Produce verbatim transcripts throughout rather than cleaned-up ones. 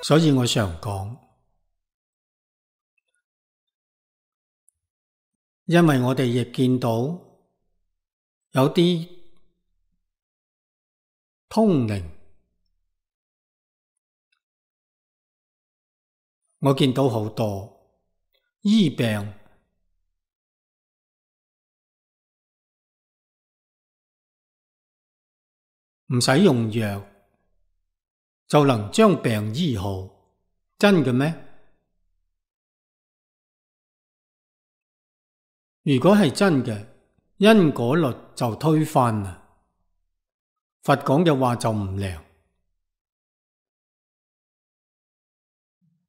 所以我常講，因為我哋亦見到有啲通靈，我見到好多醫病唔使用藥就能將病醫好，真嘅咩？如果係真嘅，因果律就推翻啦，佛講嘅話就唔靈。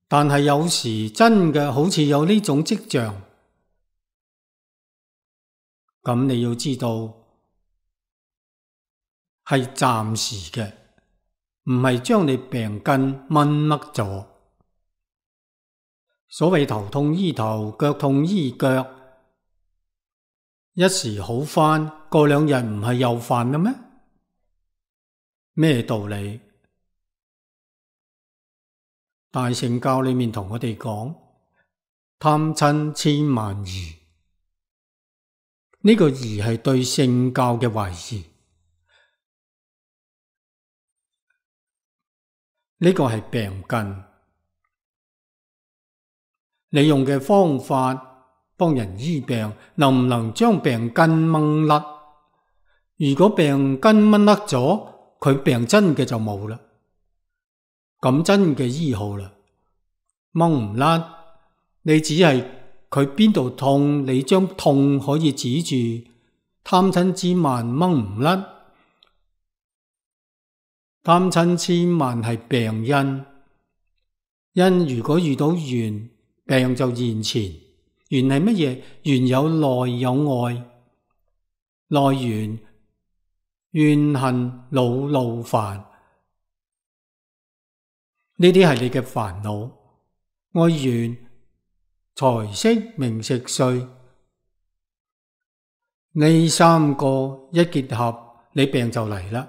但係有時真嘅好似有呢種跡象，咁你要知道係暫時嘅，唔係將你病根掹甩咗。所謂頭痛醫頭，腳痛醫腳，一時好返，過兩日唔係又犯啦咩？咩道理？大乘教裏面同我哋講，貪嗔癡慢疑，呢個疑係對聖教嘅懷疑，呢個係病根。你用嘅方法幫人醫病，能唔能將病根掹甩？如果病根掹甩咗，佢病真嘅就冇啦。咁真嘅醫好啦，掹唔甩，你只係佢邊度痛，你將痛可以止住，貪嗔癡慢掹唔甩。貪嗔癡慢係病因，因如果遇到緣，病就現前。緣係乜嘢？緣有內有外，內緣怨恨惱怒煩。呢啲係你嘅煩惱，愛緣財色名食睡，呢三個一結合，你病就嚟啦，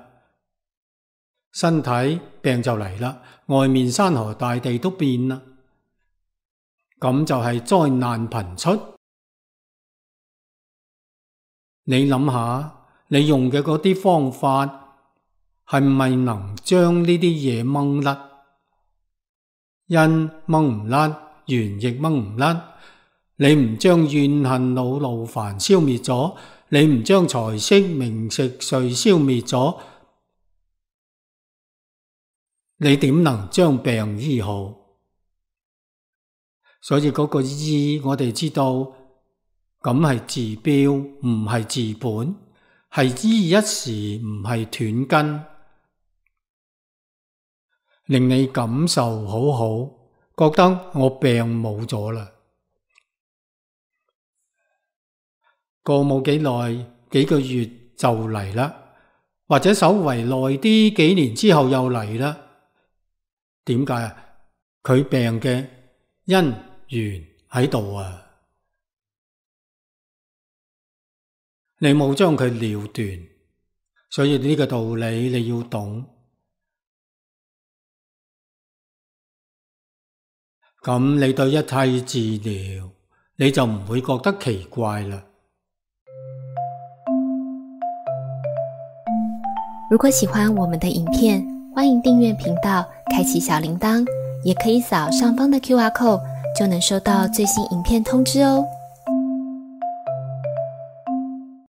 身體病就嚟啦，外面山河大地都變啦，咁就係災難頻出。你諗下，你用嘅嗰啲方法係咪能將呢啲嘢掹甩？因掹唔甩，緣亦掹唔甩。你唔將怨恨惱怒煩消滅咗，你唔將財色名食睡消滅咗，你點能將病醫好？所以嗰個醫，我哋知道咁係治標，唔係治本，係醫一時，唔係斷根。令你感受好好，覺得我病冇咗啦。過冇幾耐，幾個月就嚟啦，或者稍為耐啲，幾年之後又嚟啦。點解啊？佢病嘅因緣喺度啊，你冇將佢了斷，所以呢個道理你要懂。咁你對一切治療，你就唔會覺得奇怪啦。如果喜歡我們的影片，歡迎訂閱頻道，開啟小鈴鐺，也可以掃上方的 Q R code，就能收到最新影片通知哦。